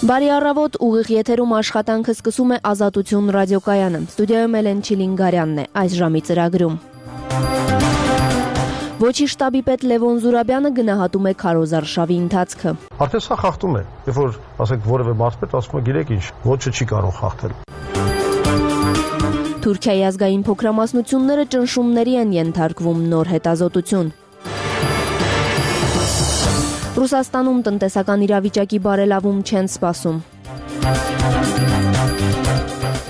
Բարի առավոտ, ուղիղ եթերում աշխատանքը սկսում է Ազատություն ռադիոկայանը։ Ստուդիայում Էլեն Չիլինգարյանն է այս ժամի ծրագրում։ Ոչի շտաբի պետ Լևոն Զուրաբյանը գնահատում է քարոզարշավի ընթացքը։ Արդեն սա խախտում է, երբ որ ասենք որևէ մարզպետ ասում է գիտեք ինչ, ոչը չի կարող խախտել։ Թուրքիայի ազգային փոքրամասնությունները ճնշումների են ենթարկվում նոր հետազոտություն։ Ռուսաստանում տնտեսական իրավիճակի բարելավում չեն սպասում։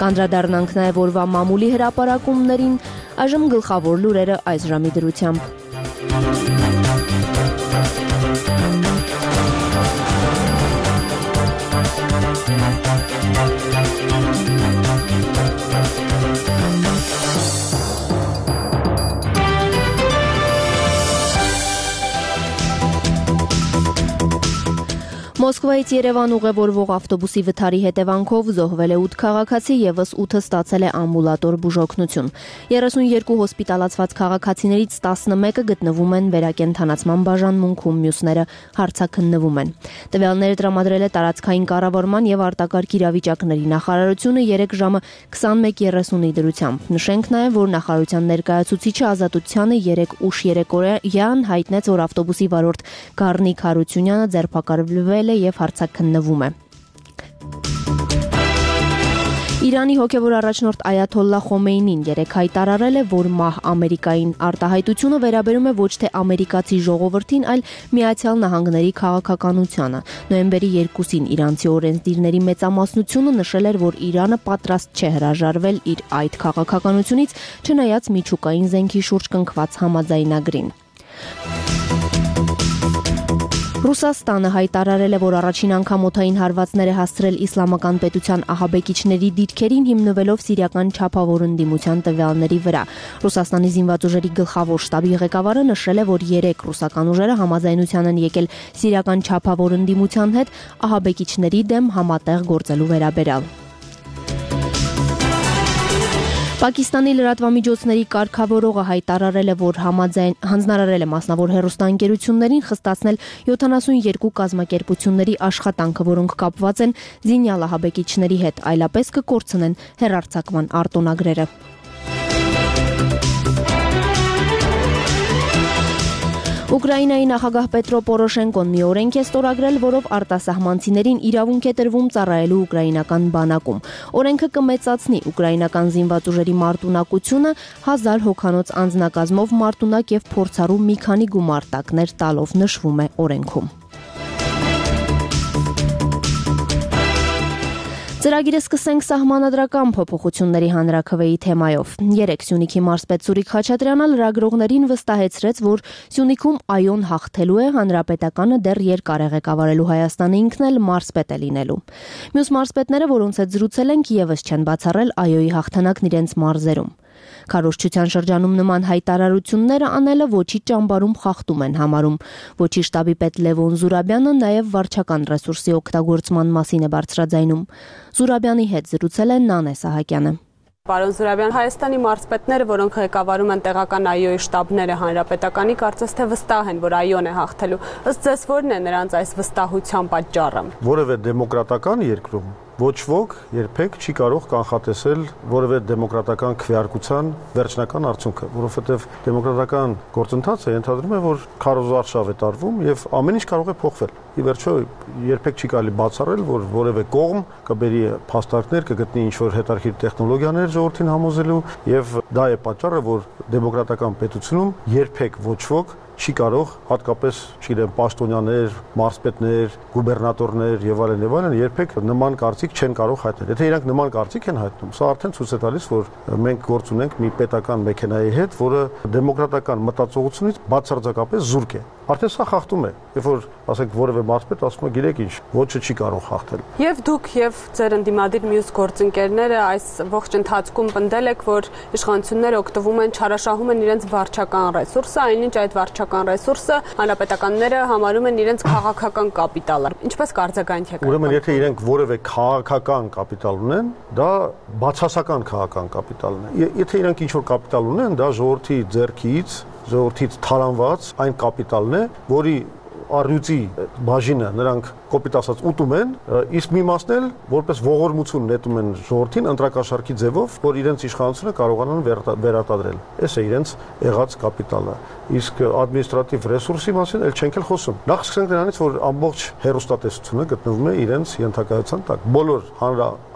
Կանդրադառնանք նաև օրվա մամուլի հրապարակումներին, այժմ գլխավոր լուրերը այս ժամի դրությամբ։ Մոսկվայից Երևան ուղևորվող ավտոբուսի վթարի հետևանքով զոհվել է 8 քաղաքացի, եւս 8-ը ստացել է ամբուլատոր բուժօգնություն։ 32 հոսպիտալացված քաղաքացիներից 11-ը գտնվում են վերակենդանացման բաժանմունքում, մյուսները հարցաքննվում են։ Տվյալները տրամադրել է տարածքային կառավարման եւ արտակարգ իրավիճակների նախարարությունը 3 ժամը 21:30-ի դրությամբ։ Նշենք նաեւ, որ նախարարության ներկայացուցիչը Ազատությանը 3 ուշ երեկոյան հայտնեց, որ ավտոբուսի վարորդ Գառնիկ Հարությունյանը ձերբակալվել եւ հարցաքննվում է։ Իրանի հոգևոր առաջնորդ Այաթոլլահ Խոմեյնին երեկ հայտարարել է, որ մահ Ամերիկային արտահայտությունը վերաբերում է ոչ թե ամերիկացի ժողովրդին, այլ Միացյալ Նահանգների քաղաքականությանը։ Նոյեմբերի 2-ին իրանցի օրենսդիրների մեծամասնությունը նշել էր, որ Իրանը պատրաստ չէ հրաժարվել իր այդ քաղաքականությունից, չնայած միջուկային զենքի շուրջ կնքված համաձայնագրին։ Ռուսաստանը հայտարարել է, որ առաջին անգամ օդային հարվածներ է հասցրել իսլամական պետության ահաբեկիչների դիրքերին, հիմնվելով սիրիական չափավոր ընդդիմության տվյալների վրա։ Ռուսաստանի զինված ուժերի գլխավոր շտաբի ղեկավարը նշել է, որ 3 ռուսական ուժերը համաձայնության են եկել սիրիական չափավոր ընդդիմության հետ ահաբեկիչների դեմ համատեղ գործելու վերաբերյալ։ Պակիստանի լրատվամիջոցների կարգավորողը հայտարարել է, որ հանձնարարել է մասնավոր հեռուստաընկերություններին խստացնել 72 կազմակերպությունների աշխատանքը, որոնք կապված են զինյալ ահաբեկիչների հետ, այլապես կկորցնեն հեռարձակման արտոնագրերը։ Ուկրաինայի նախագահ Պետրո Պորոշենկոն մի օրենք է ստորագրել, որով արտասահմանցիներին իրավունք է տրվում ծառայելու ուկրաինական բանակում։ Օրենքը կմեծացնի ուկրաինական զինված ուժերի մարտունակությունը 1000 հոգանոց անձնակազմով մարտունակ եւ փորձառու մի քանի գումարտակներ տալով, նշվում է օրենքում։ Ծրագիրը սկսենք սահմանադրական փոփոխությունների հանրաքվեի թեմայով։ Երեկ Սյունիքի մարզպետ Սուրիկ Խաչատրյանը լրագրողներին վստահեցրեց, որ Սյունիքում ԱՅՈ-ն հաղթելու է, հանրապետականը դեռ երկար է ղեկավարելու Հայաստանը, ինքն էլ մարզպետ է լինելու։ Մյուս մարզպետները, որոնց հետ զրուցել ենք, եւս չեն բացառել ԱՅՈ-ի հաղթանակն իրենց մարզերում։ Քարոզչության շրջանում նման հայտարարությունները անելը ոչի ճամբարում խախտում են համարում։ Ոչի շտաբի պետ Լևոն Զուրաբյանը նաև վարչական ռեսուրսի օգտագործման մասին է բարձրաձայնում։ Զուրաբյանի հետ զրուցել է Նանե Սահակյանը։ Պարոն Զուրաբյան, Հայաստանի մարզպետները, որոնք ղեկավարում են տեղական ԱՅՈ-ի շտաբները հանրապետականի, կարծես թե վստահ են, որ ԱՅՈ-ն է հաղթելու։ Ըստ ձեզ ո՞րն է նրանց այս վստահության պատճառը։ Որևէ դեմոկրատական երկրում ոչ ոք երբեք չի կարող կանխատեսել որևէ դեմոկրատական քվեարկության վերջնական արդյունքը, որովհետև դեմոկրատական գործընթացը ենթադրում է, որ քարոզարշավ է տարվում եւ ամեն ինչ կարող է փոխվել։ Ի վերջո երբեք չի կարելի բացառել, որ որևէ կողմ կբերի փաստարկներ, կգտնի ինչ-որ հետարքիր տեխնոլոգիաներ ժողովրդին համոզելու եւ դա է պատճառը, որ դեմոկրատական պետությունում երբեք ոչ ոք չի կարող, հատկապես, չգիտեմ, պաշտոնյաներ, մարզպետներ, գուբերնատորներ եւ այլն, երբեք նման կարծիք չեն կարող հայտնել։ Եթե իրանք նման կարծիք են հայտնում, սա արդեն ցույց է տալիս, որ մենք գործ ունենք մի պետական մեքենայի հետ, որը դեմոկրատական մտածողությունից բացարձակապես զուրկ է։ Արդեն սա խախտում է, երբ որ ասենք որևէ մարզպետ ասում է գիտեք ինչ, ոչը չի կարող խախտել։ Եվ դուք եւ ձեր ընդդիմադիր մյուս գործընկերները այս ողջ ընթացքում պնդել եք, որ իշխանությունները օգտվում են, չարաշահում են իրենց վարչական ռեսուրսը, այնինչ այդ վարչական ռեսուրսը հանրապետականները համարում են իրենց քաղաքական կապիտալը։ Ինչպես կարձագանք եք։ Ուրեմն եթե իրենք որևէ քաղաքական կապիտալ ունեն, դա բացասական քաղաքական կապիտալն է։ Եթե իրենք ինչ-որ կապիտալ ունեն, դա ժողովրդի ձեռքից, ժողովրդից թալանված այն կապիտալն է, որի առյուծի բաժինը նրանք կոպիտ ասած ուտում են, իսկ մի մասն էլ որպես ողորմություն նետում են ժողովրդին ընտրակաշառքի ձևով, որ իրենց իշխանությունը կարողանան վերարտադրել։ Այս է իրենց եղած կապիտալը։ Իսկ ադմինիստրատիվ ռեսուրսի մասին էլ չենք էլ խոսում։ Նախ սկսենք նրանից, որ ամբողջ հեռուստատեսությունը գտնվում է իրենց ենթակայության տակ։ Բոլոր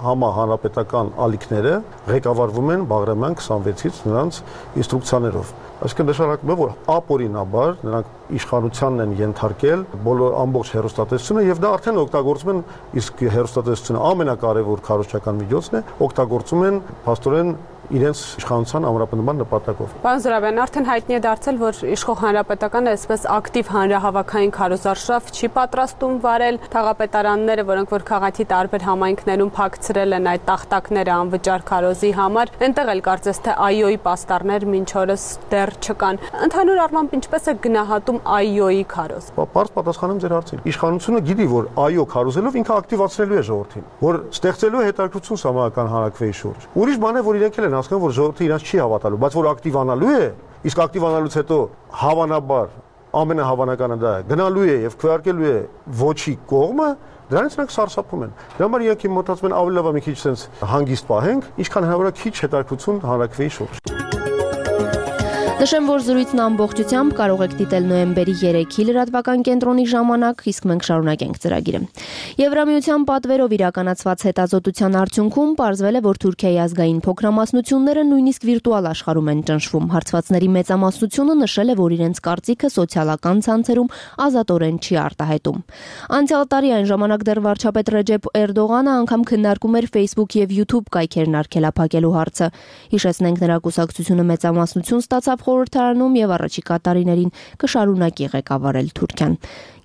հանրապետական ալիքները ղեկավարվում են Բաղրամյան 26-ից նրանց ինստրուկցիաներով։ Այսինքն նշանակում է, որ ապօրինաբար նրանք իշխանությանն են ենթարկել բոլոր ամբողջ հեռուստատեսությունը եւ դա արդեն օգտագործում են, իսկ հեռուստատեսությունը ամենակարևոր քարոզչական միջոցն է, օգտագործում են փաստորեն իրենց իշխանության ամրապնդման նպատակով։ Պարոն Զուրաբյան, արդեն հայտնի է դարձել, որ իշխող հանրապետականը այսպես ակտիվ հանրահավաքային քարոզարշավ չի պատրաստում վարել, թաղապետարանները, որոնք որ քաղաքի տարբեր համայնքներում փակցրել են այդ տախտակները անվճար քարոզի համար, այնտեղ էլ կարծես թե ԱԻՕ-ի պաստառներ մինչ օրս դեռ չկան։ Ընդհանուր առմամբ ինչպես է գնահատում ԱԻՕ-ի քարոզ։ Պարզ պատասխանեմ ձեր հարցին։ Իշխանությունը գիտի, որ ԱԻՕ քարոզելով ինքը ակտիվացնելու է ժողովրդին, որ ստեղծելու է հետաքրքրություն սահմանական հանրակրվեի շուրջ։ Ուրիշ բան է, որ իրենք էլ են հասկանում, որ ժողովուրդը իրանց չի հավատալու, բայց որ ակտիվանալու է, իսկ ակտիվանալուց հետո հավանաբար ամենահավանականը դա է, գնալու է եւ քվեարկելու է ոչի կողմը, դրանից նրանք սարսափում են։ Դրա համար իրենք մտածում են ավելի լավ է մի քիչ sense հանգիստ պահենք, ինչքան հնարավոր է քիչ հետաքրքրություն հանրակրվեի շուրջ։ Նշեմ, որ զրույցն ամբողջությամբ կարող եք դիտել նոյեմբերի 3-ի լրատվական կենտրոնի ժամանակ, իսկ մենք շարունակենք ծրագիրը։ Եվրամիության պատվերով իրականացված հետազոտության արդյունքում պարզվել է, որ Թուրքիայի ազգային փոքրամասնությունները նույնիսկ վիրտուալ աշխարհում են ճնշվում։ Հարցվածների մեծամասնությունը նշել է, որ իրենց կարծիքը սոցիալական ցանցերում ազատորեն չի արտահայտում։ Անցյալ տարի այն ժամանակ դեռ վարչապետ Ռեջեփ Էրդողանը անգամ քննարկում էր Facebook եւ YouTube կայքերն արգելափակելու հարցը։ Հիշեցնենք, նրա կուսակցությունը մեծամասնություն ստացավ խորհրդարանում եւ առաջիկա տարիներին կշարունակի ղեկավարել Թուրքիան։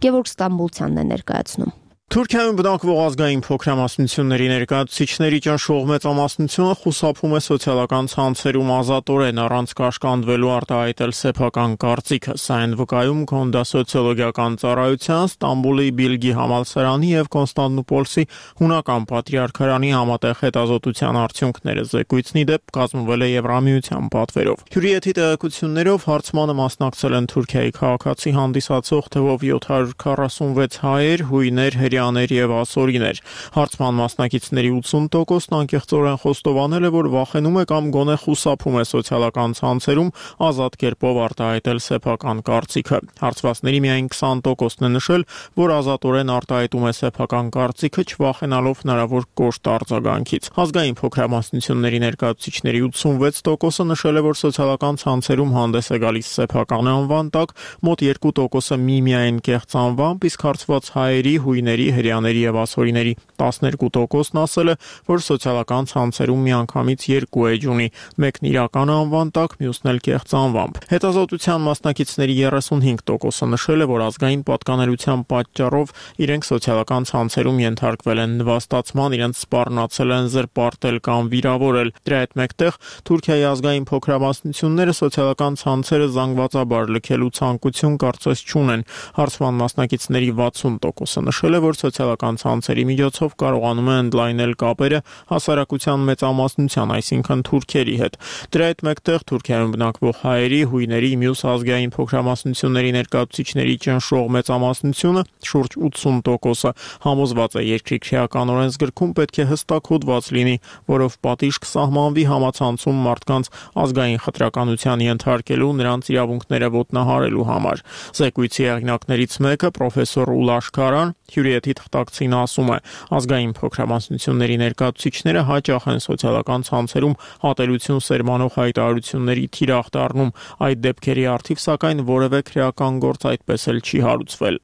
Գևորգ Ստամբուլցյանն է ներկայացնում։ Թուրքիայում բնակվող ազգային փոքրամասնությունների ներկայացուցիչների ճնշող մեծամասնությունը խուսափում է սոցիալական ցանցերում ազատորեն առանց կաշկանդվելու արտահայտել սեփական կարծիքը։ Սա են վկայում Քոնդա սոցիոլոգիական ծառայության, Ստամբուլի Բիլգի համալսարանի եւ Կոնստանդնուպոլսի հունական պատրիարքարանի համատեղ հետազոտության արդյունքները։ Զեկույցն ի դեպ կազմվել է Եվրամիության պատվերով։ Հյուրիեթի տեղեկություններով հարցմանը մասնակցել են Թուրքիայի քաղաքացի հանդիսացող թվով 746 հայեր, հույներ, հրեաներ եւ ասորիներ։ Հարցման մասնակիցների 80%-ն անկեղծորեն խոստովանել է, որ վախենում է կամ գոնե խուսափում է սոցիալական ցանցերում ազատ կերպով արտահայտել սեփական կարծիքը։ Հարցվածների միայն 20%-ն է նշել, որ ազատորեն արտահայտում է սեփական կարծիքը, չվախենալով հնարավոր կոշտ արձագանքից։ Ազգային փոքրամասնությունների ներկայացուցիչների 86%-ը նշել է, որ սոցիալական ցանցերում հանդես է գալիս սեփական անվան տակ, մոտ 2%-ը միմիայն կեղծ անվամբ, իսկ հարցված հայերի, հույների, հրեաների եւ ասորիների 12%-ն ասել է, որ սոցիալական ցանցերում միանգամից երկու էջ ունի, մեկն իրական անվան տակ, մյուսն էլ կեղծ անվամբ։ Հետազոտության մասնակիցների 35%-ը նշել է, որ ազգային պատկանելության պատճառով իրենք սոցիալական ցանցերում ենթարկվել են նվաստացման, իրենց սպառնացել են, զրպարտել կամ վիրավորել։ Դրա հետ մեկտեղ Թուրքիայի ազգային փոքրամասնությունները սոցիալական ցանցերը զանգվածաբար լքելու ցանկություն կարծես չունեն։ Հարցման մասնակիցների 60%-ը նշել է, որ սոցիալական ցանցերի միջոցով կարողանում է ընդլայնել կապերը հասարակության մեծամասնության, այսինքն թուրքերի հետ։ Դրա հետ մեկտեղ Թուրքիայում բնակվող հայերի, հույների, մյուս ազգային փոքրամասնությունների ներկայացուցիչների ճնշող մեծամասնությունը, շուրջ 80%-ը, համոզված է երկրի քրեական օրենսգրքում պետք է հստակ հոդված լինի, որով պատիժ կսահմանվի համացանցում մարդկանց ազգային խտրականության ենթարկելու, նրանց իրավունքները ոտնահարելու համար։ Զեկույցի հեղինակներից մեկը պրոֆեսոր Ուլաշ Քարան հյուրիեթի թղթակցին ասում է. ազգային փոքրամասնությունների ներկայացուցիչները հաճախ են սոցիալական ցանցերում ատելություն սերմանող հայտարարությունների թիրախ դառնում։ Այդ դեպքերի առթիվ սակայն որևէ քրեական գործ այդպես էլ չի հարուցվել։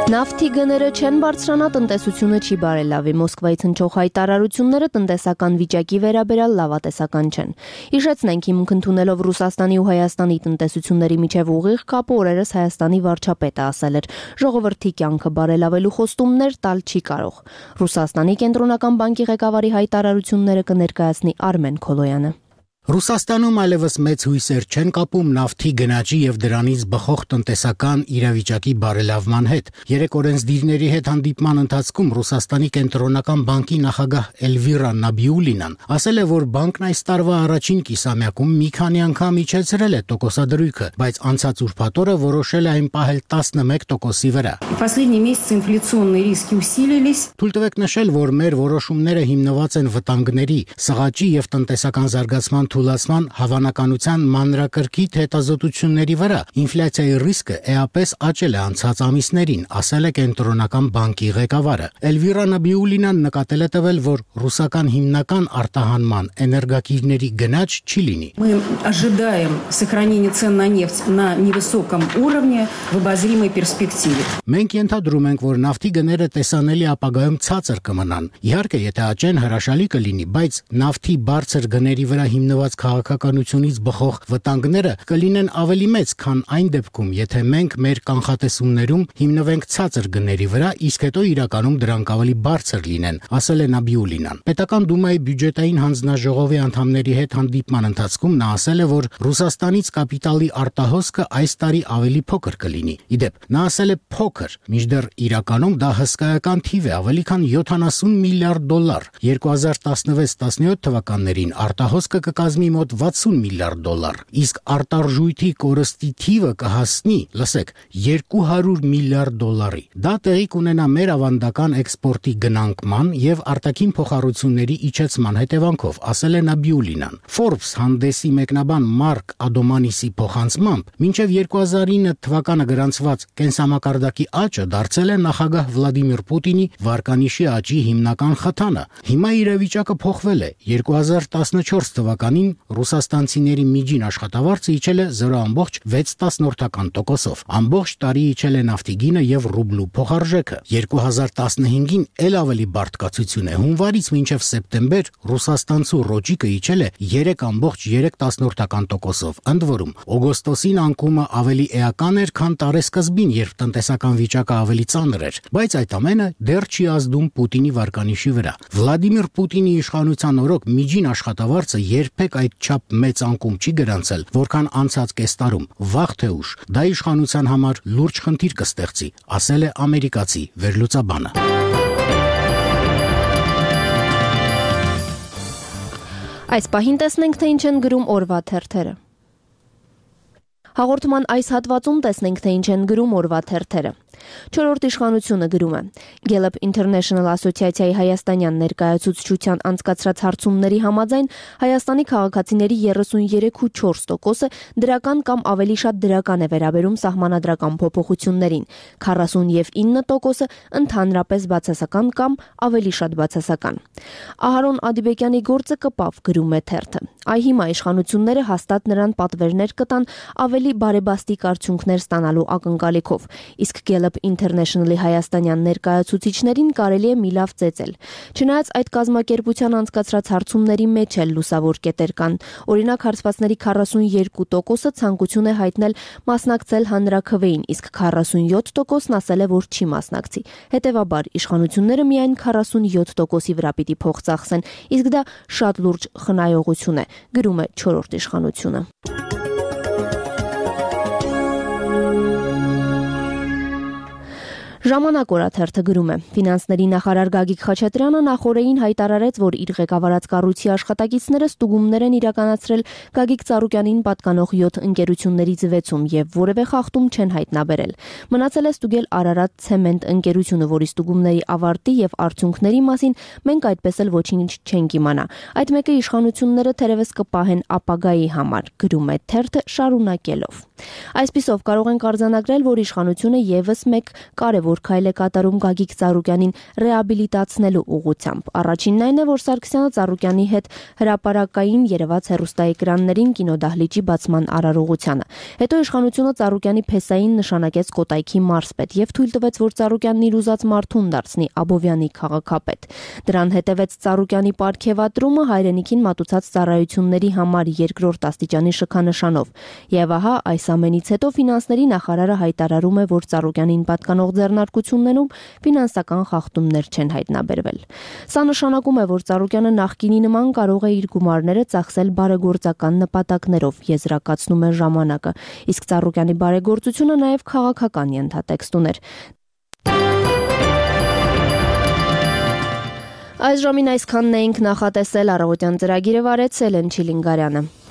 Նավթի գները չեն բարձրանա, տնտեսությունը չի բարելավի։ Մոսկվայից հնչող հայտարարությունները տնտեսական վիճակի վերաբերյալ լավատեսական չեն։ Հիշեցնենք, հիմք ընդունելով Ռուսաստանի ու Հայաստանի տնտեսությունների միջև ուղիղ կապը օրերս Հայաստանի վարչապետը ասել էր. ժողովրդի կյանքը բարելավելու խոստումներ տալ չի կարող։ Ռուսաստանի կենտրոնական բանկի ղեկավարի հայտարարությունները կներկայացնի Արմեն Քոլոյանը։ Ռուսաստանում այլևս մեծ հույսեր չեն կապում նավթի գնաճի եւ դրանից բխող տնտեսական իրավիճակի բարելավման հետ։ Երեք օրենսդիրների հետ հանդիպման ընթացքում Ռուսաստանի կենտրոնական բանկի նախագահ Էլվիրա Նաբիուլինան ասել է, որ բանկն այս տարվա առաջին կիսամյակում մի քանի անգամ իջեցրել է տոկոսադրույքը, բայց անցած ուրբաթ օրը որոշել է այն պահել 11%-ի վրա։ Последние месяцы инфляционные риски усилились. Թույլ տվեք նշել, որ մեր որոշումները հիմնված են վտանգների, սղաճի եւ տնտեսական զարգացման թուլացման հավանականության մանրակրկիտ հետազոտությունների վրա։ Ինֆլյացիայի ռիսկը էապես աճել է անցած ամիսներին, ասել է կենտրոնական բանկի ղեկավարը։ Էլվիրա Նաբիուլինան նկատել է տվել, որ ռուսական հիմնական արտահանման էներգակիրների գնաճ չի լինի։ Мы ожидаем сохранения цен на нефть на невысоком уровне в обозримой перспективе. Մենք ենթադրում ենք, որ նավթի գները տեսանելի ապագայում ցածր կմնան։ Իհարկե, եթե աճեն հրաշալի կլինի, բայց նավթի բարձր գների վրա հիմնված քաղաքականությունից բխող վտանգները կլինեն ավելի մեծ, քան այն դեպքում, եթե մենք մեր կանխատեսումներում հիմնվենք ցածր գների վրա, իսկ հետո իրականում դրանք ավելի բարձր լինեն, ասել է Նաբիուլինան։ Պետական դումայի բյուջետային հանձնաժողովի անդամների հետ հանդիպման ընթացքում նա ասել է, որ Ռուսաստանից կապիտալի արտահոսքը այս տարի ավելի փոքր կլինի։ Իդեպ, նա ասել է փոքր, մինչդեռ իրականում դա հսկայական թիվ է, ավելի քան $70 միլիարդ։ 2016-17 թվականներին արտահոսքը կկազմի մոտ $60 միլիարդ, իսկ արտարժույթի կորստի թիվը կհասնի, լսեք, $200 միլիարդ։ Դա տեղի կունենա մեր ավանդական էքսպորտի գնանկման եւ արտաքին փոխառությունների իջեցման հետևանքով, ասել է Նաբիուլինան։ Forbes հանդեսի մեկնաբան Մարկ Ադոմանիսի փոխանցմամբ, մինչև 2009 թվականը գրանցված կենսամակարդակի աճը դարձել է նախագահ Վլադիմիր Պուտինի վարկանիշի աճի հիմնական խթանը։ Հիմա իրավիճակը փոխվել է։ 2014 թվականին ռուսաստանցիների միջին աշխատավարձը իջել է 0.6%-ով։ Ամբողջ տարի իջել է նավթի գինը եւ ռուբլու փոխարժեքը։ 2015-ին էլ ավելի բարդ կացություն է։ Հունվարից մինչև սեպտեմբեր ռուսաստանցու ռոճիկը իջել է 3.3%-ով։ Ընդ որում, օգոստոսին անկումը ավելի էական էր, քան տարեսկզբին, երբ տնտեսական վիճակը ավելի ծանր էր, բայց այդ ամենը դեռ չի ազդում Պուտինի վարկանիշի վրա։ Վլադիմիր Պուտինի իշխանության օրոք միջին աշխատավարձը երբեք այդչափ մեծ անկում չի գրանցել, որքան անցած կես տարում։ Վաղ թե ուշ դա իշխանության համար լուրջ խնդիր կստեղծի, ասել է ամերիկացի վերլուծաբանը։ Այս պահին տեսնենք, թե ինչ են գրում օրվա թերթերը։ Հաղորդման այս հատվածում տեսնենք, թե ինչ են գրում օրվա թերթերը։ Չորրորդ իշխանությունը գրում է. Gallup International ասոցիացիայի հայաստանյան ներկայացուցչության անցկացրած հարցումների համաձայն Հայաստանի քաղաքացիների 33.4%-ը դրական կամ ավելի շատ դրական է վերաբերում սահմանադրական փոփոխություններին, 49%-ը ընդհանրապես բացասական կամ ավելի շատ բացասական։ Ահարոն Ադիբեկյանի գործը կպավ, գրում է թերթը։ Այ հիմա իշխանությունները հաստատ նրան պատվերներ կտան ավելի բարեբաստիկ արդյունքներ ստանալու ակնկալիքով, իսկ Gallup International-ի հայաստանյան ներկայացուցիչներին կարելի է մի լավ ծեծել։ Չնայած այդ կազմակերպության անցկացրած հարցումների մեջ էլ լուսավոր կետեր կան։ Օրինակ, հարցվածների 42%-ը ցանկություն է հայտնել մասնակցել հանրաքվեին, իսկ 47%-ն ասել է, որ չի մասնակցի։ Հետևաբար, իշխանությունները միայն 47%-ի վրա պիտի փող ծախսեն, իսկ դա շատ լուրջ խնայողություն է, գրում է չորրորդ իշխանությունը։ Ժամանակ օրաթերթը գրում է. Ֆինանսների նախարար Գագիկ Խաչատրյանը նախորդին հայտարարեց, որ իր ղեկավարած կառույցի աշխատակիցները ստուգումներ են իրականացրել Գագիկ Ծառուկյանին պատկանող 7 ընկերություններից 6-ում եւ որևէ խախտում չեն հայտնաբերել։ Մնացել է ստուգել Արարատ ցեմենտ ընկերությունը, որի ստուգումների ավարտի եւ արդյունքների մասին մենք այդպես էլ ոչինչ չենք իմանա։ Այդ մեկը իշխանությունները թերևս կպահեն ապագայի համար, գրում է թերթը շարունակելով։ Այսպիսով կարող ենք արձանագրել, որ իշխանությունը եւս մեկ կարևոր քայլ է կատարում Գագիկ Ծառուկյանին ռեաբիլիտացնելու ուղղությամբ։ Առաջինն այն է, որ Սարգսյանը Ծառուկյանի հետ հրապարակային երևաց հեռուստաէկրաններին կինոդահլիճի բացման արարողությանը։ Հետո իշխանությունը Ծառուկյանի փեսային նշանակեց Կոտայքի մարզպետ եւ թույլ տվեց, որ Ծառուկյանն իր ուզած մարդուն դարձնի Աբովյանի քաղաքապետ։ Դրան հետևեց Ծառուկյանի պարգևատրումը հայրենիքին մատուցած ծառայությունների համար երկրորդ աստիճանի շքանշանով։ Եվ ահա այս ամենից հետո ֆինանսների նախարարը հայտարարում է, որ Ծառուկյանին պատկանող ձեռնարկությունը առաջարկություններում ֆինանսական խախտումներ չեն հայտնաբերվել։ Սա նշանակում է, որ Ծառուկյանը նախկինի նման կարող է իր գումարները ծախսել բարեգործական նպատակներով, եզրակացնում է ժամանակը, իսկ Ծառուկյանի բարեգործությունը նաև քաղաքական ենթատեքստ ուներ։ Այս ժամին այսքանն էինք նախատեսել, առավոտյան ծրագիրը վարեց Էլեն Չիլինգարյանը։